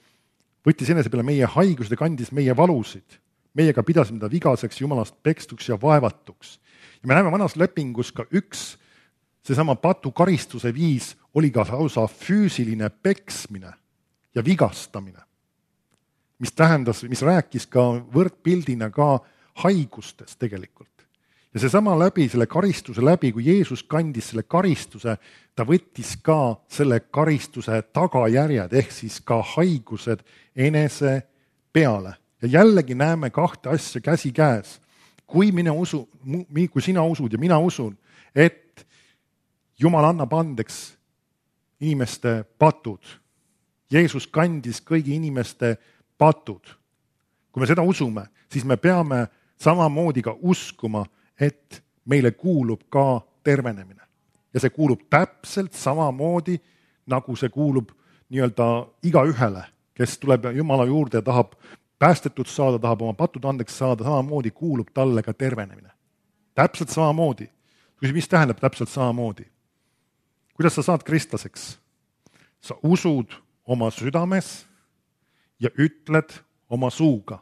võttis enese peale meie haigused ja kandis meie valusid. Meiega pidasime ta vigaseks, Jumalast pekstuks ja vaevatuks. Ja me näeme vanas lepingus ka seesama patu karistuse viis oli ka lausa füüsiline peksmine ja vigastamine, mis rääkis ka võrdpildina ka haigustest tegelikult. Ja seesama läbi, selle karistuse läbi, kui Jeesus kandis selle karistuse, ta võttis ka selle karistuse tagajärjed, ehk siis ka haigused enese peale. Ja jällegi näeme kahte asja käsikäes. Kui sina usud ja mina usun, et Jumal annab andeks inimeste patud. Jeesus kandis kõigi inimeste patud. Kui me seda usume, siis me peame samamoodi ka uskuma, et meile kuulub ka tervenemine. Ja see kuulub täpselt samamoodi, nagu see kuulub nii-öelda igaühele, kes tuleb Jumala juurde ja tahab päästetud saada, tahab oma patud andeks saada, samamoodi kuulub talle ka tervenemine. Täpselt samamoodi. Mis tähendab täpselt samamoodi? Kuidas sa saad kristlaseks? Sa usud oma südames ja ütled oma suuga.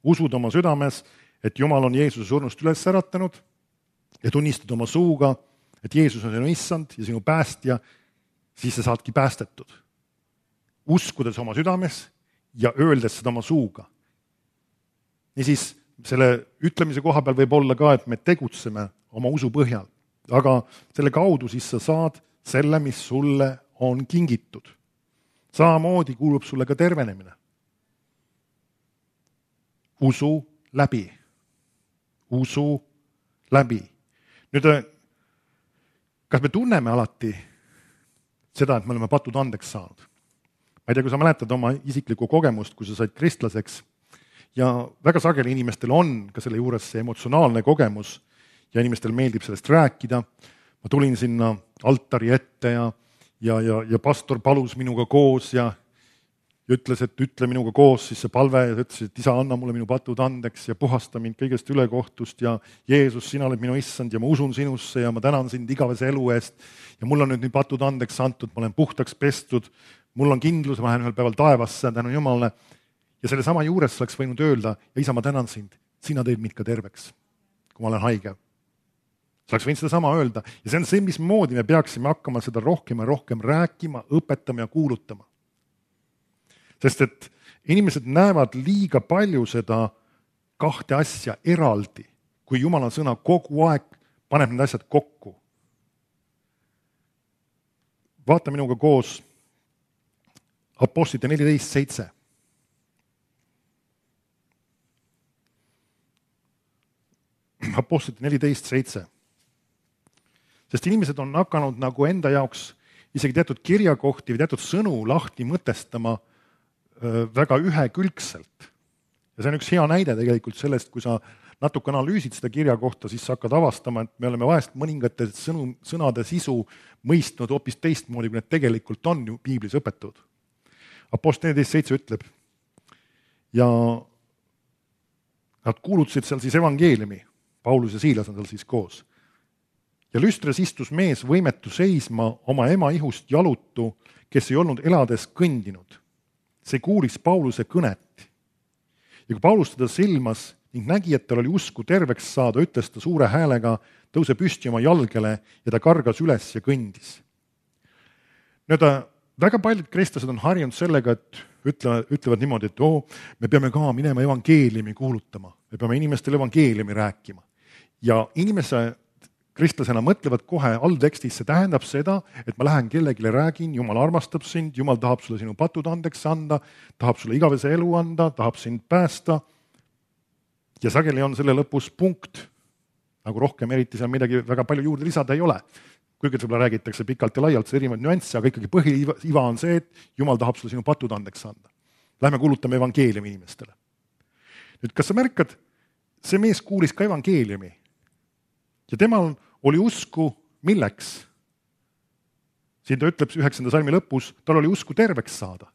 Usud oma südames, et Jumal on Jeesuse surnust üles äratanud ja tunnistad oma suuga, et Jeesus on sinu issand ja sinu päästja, siis sa saadki päästetud. Uskudes oma südames ja öeldes seda oma suuga. Niisiis, selle ütlemise koha peal võib olla ka, et me tegutseme oma usu põhjal, aga selle kaudu siis sa saad selle, mis sulle on kingitud. Samamoodi kuulub sulle ka tervenemine. Usu läbi. Usu läbi. Nüüd, kas me tunneme alati seda, et me oleme patud andeks saanud? Ma ei tea, kui sa mäletad oma isiklikku kogemust, kui sa said kristlaseks, ja väga sageli inimestel on ka selle juures see emotsionaalne kogemus ja inimestel meeldib sellest rääkida. Ma tulin sinna altari ette ja pastor palus minuga koos ja ütles, et ütle minuga koos siis see palve ja ütles, et isa, anna mulle minu patud andeks ja puhasta mind kõigest ülekohtust ja Jeesus, sina oled minu issand ja ma usun sinusse ja ma tänan sind igavese elu eest ja mul on nüüd patud andeks antud, ma olen puhtaks pestud, mul on kindlus, ma lähen ühel päeval taevasse tänu Jumalale ja selle sama juures oleks võinud öelda, ja isa, ma tänan sind, sina teed mind ka terveks, kui ma olen haige. Sa oleks võinud seda sama öelda ja see on see, mismoodi me peaksime hakkama seda rohkem ja rohkem rääkima, õpetama ja kuulutama. Sest et inimesed näevad liiga palju seda kahte asja eraldi, kui Jumala sõna kogu aeg paneb need asjad kokku. Vaata minuga koos Apostlite 14.7. Apostlite 14.7. Sest inimesed on hakanud nagu enda jaoks isegi teatud kirjakohti või teatud sõnu lahti mõtestama väga ühekülgselt. Ja see on üks hea näide tegelikult sellest, kui sa natuke analüüsid seda kirja kohta, siis sa hakkad avastama, et me oleme vahest mõningate sõnade sisu mõistnud hoopis teistmoodi, kui need tegelikult on ju piiblis õpetud. Apostel 14.7 ütleb ja nad kuulutasid seal siis evangeeliumi, Paulus ja Siilas on seal siis koos. ja lüstres istus mees võimetu seisma oma ema ihust jalutu, kes ei olnud elades kõndinud. See kuulis Pauluse kõnet. Ja kui Paulus teda silmas ning nägi, et tal oli usku terveks saada, ütles ta suure häälega, tõuse püsti oma jalgele ja ta kargas üles ja kõndis. Väga paljud kristlased on harjunud sellega, et ütlevad niimoodi, et me peame ka minema evangeeliumi kuulutama, me peame inimestele evangeeliumi rääkima. Ja kristlasena mõtlevad kohe alltekstis, see tähendab seda, et ma lähen kellelegi räägin, Jumal armastab sind, Jumal tahab sulle sinu patud andeks anda, tahab sulle igavese elu anda, tahab sind päästa. Ja sageli on selle lõpus punkt, nagu rohkem eriti seal midagi väga palju juurde lisada ei ole. Kuigi võib-olla räägitakse pikalt ja laialt, see erinevaid nüansse, aga ikkagi põhiiva on see, et Jumal tahab sulle sinu patud andeks anda. Lähme kuulutame evangeeliumi inimestele. Nüüd, kas sa märkad, see mees kuulis ka evangeeliumi ja temal oli usku milleks? Siin ta ütleb 9. salmi lõpus, tal oli usku terveks saada.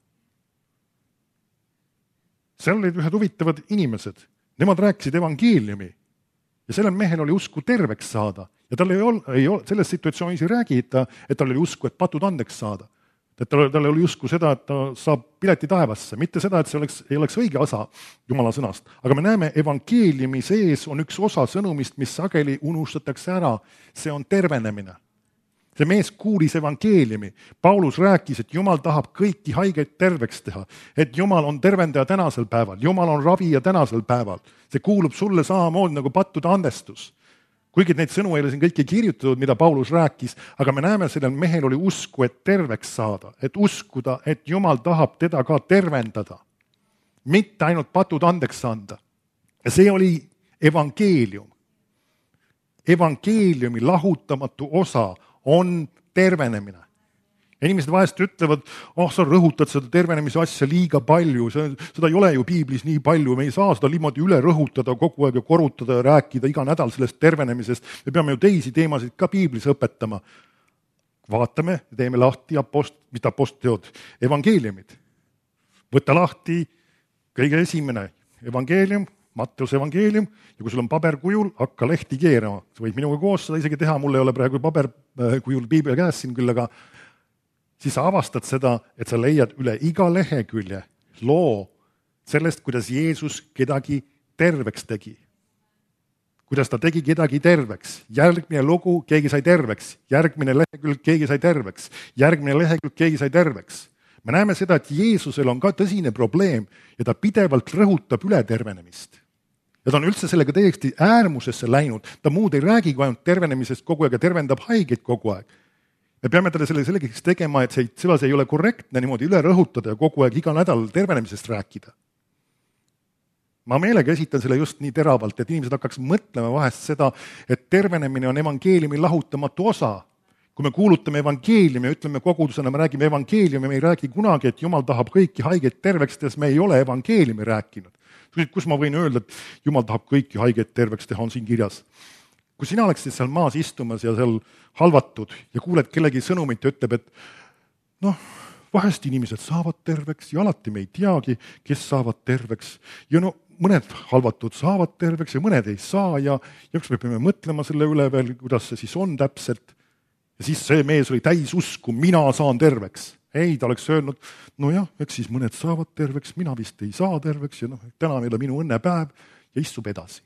Seal olid ühed huvitavad inimesed, nemad rääkisid evangeeliumi ja sellel mehel oli usku terveks saada. Ja tal ei ole selles situatsioonis ei räägita, et tal oli usku, et patud andeks saada. Et tal oli usku seda, et ta saab pileti taevasse, mitte seda, et see ei oleks õige osa Jumala sõnast. Aga me näeme, evangeeliumi sees on üks osa sõnumist, mis sageli unustatakse ära. See on tervenemine. See mees kuulis evangeeliumi. Paulus rääkis, et Jumal tahab kõiki haigeid terveks teha. Et Jumal on tervendaja tänasel päeval. Jumal on ravija tänasel päeval. See kuulub sulle samamoodi nagu pattude andestus. Kuigi neid sõnu ei ole siin kõiki kirjutatud, mida Paulus rääkis, aga me näeme, sellel mehel oli usku, et terveks saada, et uskuda, et Jumal tahab teda ka tervendada. Mitte ainult patud andeks anda. Ja see oli evangeelium. Evangeeliumi lahutamatu osa on tervenemine. Inimesed vahest ütlevad, sa rõhutad seda tervenemise asja liiga palju, seda ei ole ju piiblis nii palju, me ei saa seda niimoodi üle rõhutada kogu aeg ja korutada ja rääkida iga nädal sellest tervenemisest. Me peame ju teisi teemasid ka piiblis õpetama. Vaatame, teeme lahti mida apostlid, evangeeliumid. Võta lahti kõige esimene evangeelium, Matteuse evangeelium, ja kui sul on paberkujul, hakka lehti keerama. Sa võid minuga koos seda isegi teha, mul ei ole praegu paberkujul piibel käes siin küll, aga siis sa avastad seda, et sa leiad üle iga lehekülje loo sellest, kuidas Jeesus kedagi terveks tegi. Kuidas ta tegi kedagi terveks. Järgmine lugu, keegi sai terveks. Järgmine lehekülg, keegi sai terveks. Järgmine lehekülg, keegi sai terveks. Me näeme seda, et Jeesusel on ka tõsine probleem ja ta pidevalt rõhutab üle tervenemist. Ja ta on üldse sellega täiesti äärmusesse läinud. Ta muud ei räägi kui ainult tervenemisest kogu aeg ja tervendab haigeid kogu aeg. Me peame talle sellegeks tegema, et see ei ole korrektne niimoodi üle rõhutada ja kogu aeg iga nädal tervenemisest rääkida. Ma meelega esitan selle just nii teravalt, et inimesed hakkaks mõtlema vahest seda, et tervenemine on evangeeliumi lahutamatu osa. Kui me kuulutame evangeeliumi ja ütleme kogudusena, me räägime evangeeliumi, me ei räägi kunagi, et Jumal tahab kõiki haigeid terveks teha, me ei ole evangeeliumi rääkinud. Kus ma võin öelda, et Jumal tahab kõiki haigeid terveks teha, on siin kirjas. Kui sina oleksid seal maas istumas ja seal halvatud ja kuuled kellegi sõnumit ja ütleb, et vahest inimesed saavad terveks ja alati me ei teagi, kes saavad terveks. Ja mõned halvatud saavad terveks ja mõned ei saa ja eks me peame mõtlema selle üle veel, kuidas see siis on täpselt. Ja siis see mees oli täis usku, mina saan terveks. Ei, ta oleks öelnud, eks siis mõned saavad terveks, mina vist ei saa terveks ja täna meil on minu õnnepäev ja istub edasi.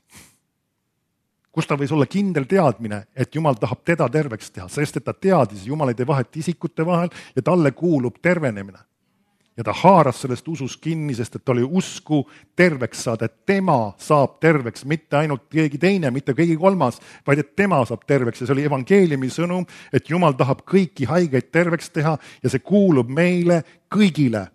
Kus ta võis olla kindel teadmine, et Jumal tahab teda terveks teha, sest et ta teadis, Jumal ei tee vahet isikute vahel ja talle kuulub tervenemine. Ja ta haaras sellest usus kinni, sest et ta oli usku terveks saada, et tema saab terveks, mitte ainult keegi teine, mitte keegi kolmas, vaid et tema saab terveks. Ja see oli evangeeliumi sõnum, et Jumal tahab kõiki haigeid terveks teha ja see kuulub meile kõigile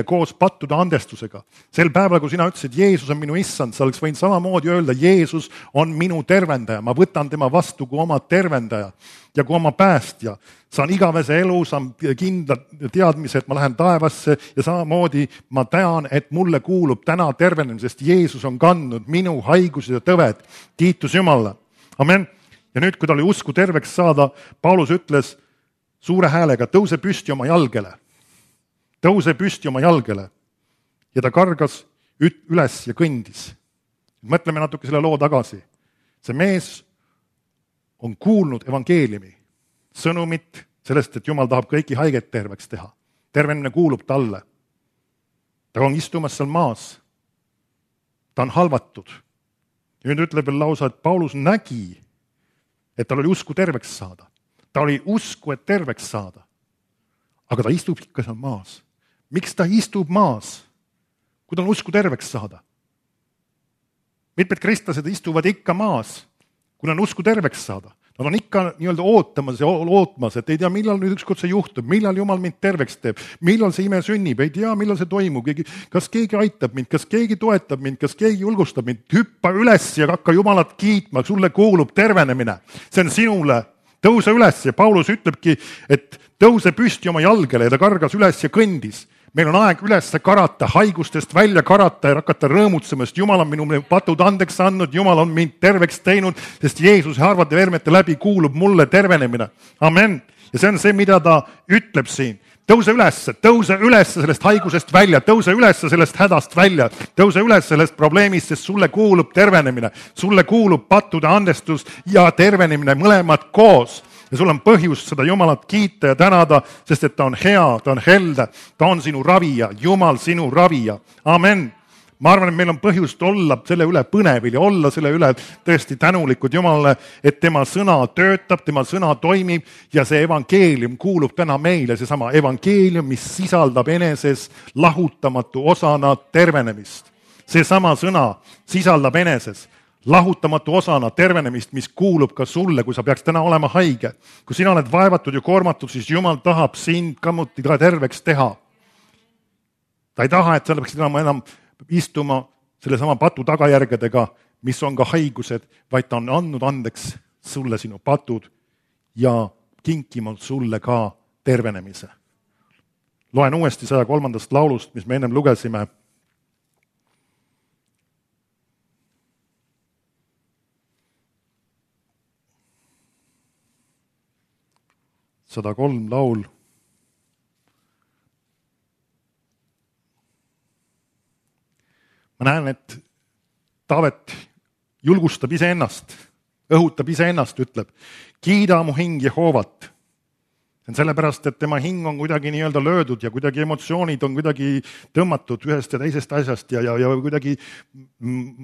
koos pattude andestusega. Sel päeval, kui sina ütlesid, Jeesus on minu issand, sa oleks võinud samamoodi öelda, Jeesus on minu tervendaja, ma võtan tema vastu kui oma tervendaja ja kui oma päästja. Saan igavese elu, saan kindla teadmise, et ma lähen taevasse ja samamoodi ma tean, et mulle kuulub täna tervenemisest. Jeesus on kandnud minu haigused ja tõved. Kiitus Jumalale. Amen. Ja nüüd, kui ta oli usku terveks saada, Paulus ütles suure häälega, tõuse püsti oma jalgele. Tõuse püsti oma jalgele ja ta kargas üles ja kõndis. Mõtleme natuke selle loo tagasi. See mees on kuulnud evangeeliumi, sõnumit sellest, et Jumal tahab kõiki haigeid terveks teha. Tervenemine kuulub talle. Ta on istumas seal maas. Ta on halvatud. Ja nüüd ütleb veel lausa, et Paulus nägi, et tal oli usku terveks saada. Ta oli usku, et terveks saada. Aga ta istub ikka seal maas. Miks ta istub maas, kui ta on usku terveks saada? Mitmed kristlased istuvad ikka maas, kui on usku terveks saada. Nad on ikka nii-öelda ootmas, et ei tea, millal nüüd ükskord see juhtub, millal Jumal mind terveks teeb, millal see ime sünnib, ei tea, millal see toimub, kas keegi aitab mind, kas keegi toetab mind, kas keegi julgustab mind, hüppa üles ja hakka Jumalat kiitma, sulle kuulub tervenemine. See on sinule, tõuse üles ja Paulus ütlebki, et tõuse püsti oma jalgele ja ta kargas üles ja kõndis. Meil on aeg üles karata, haigustest välja karata ja hakata rõõmutsema, sest Jumal on minu patud andeks andnud, Jumal on mind terveks teinud, sest Jeesuse harvade vermete läbi kuulub mulle tervenemine. Amen. Ja see on see, mida ta ütleb siin. Tõuse üles sellest haigusest välja, tõuse üles sellest hädast välja, tõuse üles sellest probleemist, sest sulle kuulub tervenemine, sulle kuulub pattude andestus ja tervenemine mõlemad koos. Ja sul on põhjust seda Jumalat kiita ja tänada, sest et ta on hea, ta on helde, ta on sinu ravija, Jumal sinu ravija. Amen. Ma arvan, et meil on põhjust olla selle üle põnevil ja olla selle üle tõesti tänulikud Jumalale, et tema sõna töötab, tema sõna toimib ja see evangeelium kuulub täna meile, seesama evangeelium, mis sisaldab eneses lahutamatu osana tervenemist. Seesama sõna sisaldab eneses lahutamatu osana tervenemist, mis kuulub ka sulle, kui sa peaks täna olema haige. Kui sina oled vaevatud ja koormatud, siis Jumal tahab sind kammuti terveks teha. Ta ei taha, et sa peaksid enam istuma sellesama patu tagajärgedega, mis on ka haigused, vaid ta on andnud andeks sulle sinu patud ja kinkinud sulle ka tervenemise. Loen uuesti 103. laulust, mis me ennem lugesime. 103 laul. Ma näen, et Taavet julgustab iseennast, õhutab iseennast, ütleb, kiida mu hing Jehoovat. See on sellepärast, et tema hing on kuidagi nii-öelda löödud ja kuidagi emotsioonid on kuidagi tõmmatud ühest ja teisest asjast ja kuidagi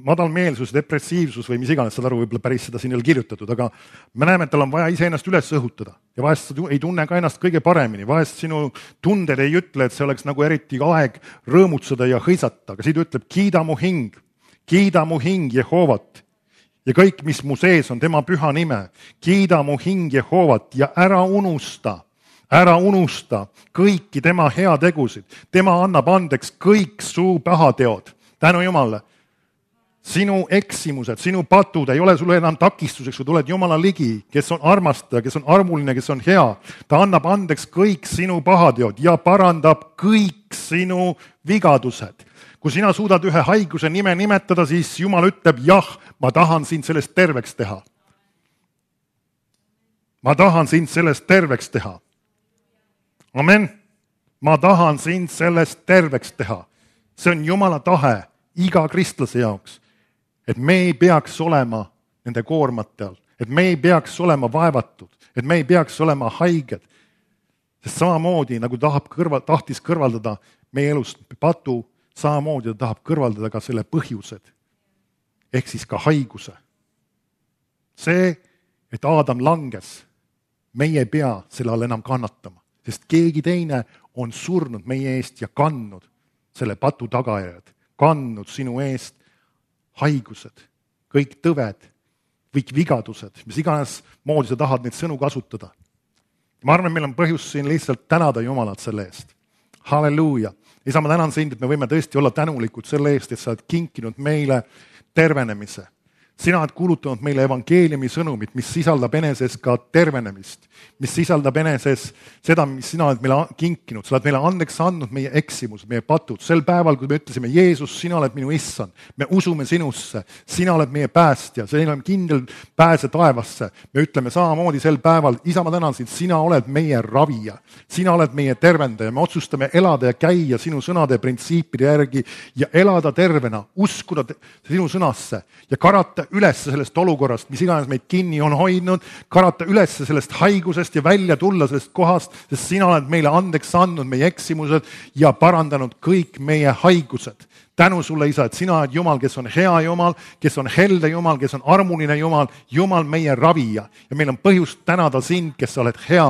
madalmeelsus, depressiivsus või mis iganes, saad aru, võib-olla päris seda siin ei ole kirjutatud, aga me näeme, et tal on vaja iseennast üles õhutada ja vahest sa ei tunne ka ennast kõige paremini, vahest sinu tunded ei ütle, et see oleks nagu eriti aeg rõõmutseda ja hõisata, aga siit ütleb, kiida mu hing Jehoovat ja kõik, mis mu sees on tema püha nime, kiida mu hing Jehoovat ja ära unusta kõiki tema heategusid. Tema annab andeks kõik su pahateod. Tänu Jumalale. Sinu eksimused, sinu patud ei ole sulle enam takistuseks, kui tuled Jumala ligi, kes on armastaja, kes on armuline, kes on hea. Ta annab andeks kõik sinu pahateod ja parandab kõik sinu vigadused. Kui sina suudad ühe haiguse nime nimetada, siis Jumal ütleb, jah, ma tahan sind sellest terveks teha. Ma tahan sind sellest terveks teha. Amen. Ma tahan sind sellest terveks teha. See on Jumala tahe iga kristlase jaoks, et me ei peaks olema nende koormate all, et me ei peaks olema vaevatud, et me ei peaks olema haiged. Sest samamoodi, nagu tahtis kõrvaldada meie elust patu, samamoodi ta tahab kõrvaldada ka selle põhjused, ehk siis ka haiguse. See, et Aadam langes, meie ei pea selle all enam kannatama. Sest keegi teine on surnud meie eest ja kandnud selle patu tagajärjed, kandnud sinu eest haigused, kõik tõved, kõik vigadused, mis iganes moodi sa tahad neid sõnu kasutada. Ma arvan, meil on põhjus siin lihtsalt tänada Jumalat selle eest. Halleluuja. Isa, ma tänan sind, et me võime tõesti olla tänulikud selle eest, et sa oled kinkinud meile tervenemise. Sina oled kuulutanud meile evangeeliumi sõnumit, mis sisaldab eneses ka tervenemist, mis sisaldab eneses seda, mis sina oled meile kinkinud. Sa oled meile andeks andnud meie eksimused, meie patud. Sel päeval, kui me ütlesime, Jeesus, sina oled minu issand, me usume sinusse, sina oled meie päästja, sina oled kindel pääse taevasse. Me ütleme samamoodi sel päeval, isa, ma tänan sind, sina oled meie ravija, sina oled meie tervendaja. Me otsustame elada ja käia sinu sõnade ja printsiipide järgi ja elada tervena, uskuda sinu sõnasse ja üles sellest olukorrast, mis iganes meid kinni on hoidnud, karata üles sellest haigusest ja välja tulla sellest kohast, sest sina oled meile andeks andnud meie eksimused ja parandanud kõik meie haigused. Tänu sulle, Isa, et sina oled Jumal, kes on hea Jumal, kes on helde Jumal, kes on armuline Jumal, Jumal meie ravija. Ja meil on põhjust tänada sind, kes sa oled hea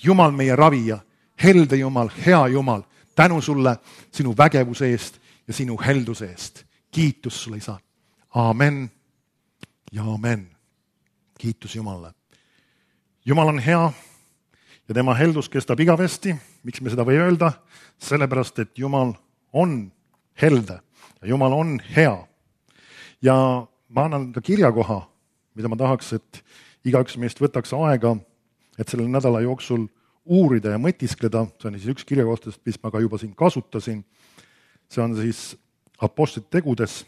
Jumal meie ravija, helde Jumal, hea Jumal. Tänu sulle sinu vägevuse eest ja sinu helduse eest. Kiitus sulle, Isa. Aamen ja aamen. Kiitus Jumalale. Jumal on hea ja tema heldus kestab igavesti. Miks me seda või öelda? Sellepärast, et Jumal on helde ja Jumal on hea. Ja ma annan ka kirjakoha, mida ma tahaks, et igaüks meist võtaks aega, et selle nädala jooksul uurida ja mõtiskleda. See on siis üks kirjakohtadest, mis ma ka juba siin kasutasin. See on siis Apostlite tegudes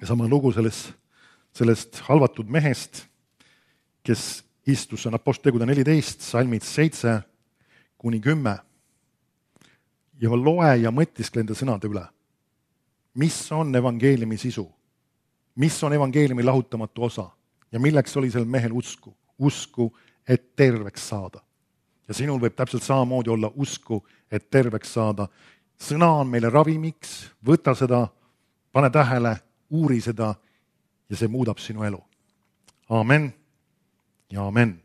ja sama lugu sellest halvatud mehest, kes istus, see on Apostlite tegude 14, salmid 7-10. Ja loe ja mõtiskle enda sõnade üle. Mis on evangeeliumi sisu? Mis on evangeeliumi lahutamatu osa? Ja milleks oli sel mehel usku? Usku, et terveks saada. Ja sinul võib täpselt samamoodi olla usku, et terveks saada. Sõna on meile ravimiks, võta seda, pane tähele, uuri seda ja see muudab sinu elu. Aamen ja aamen.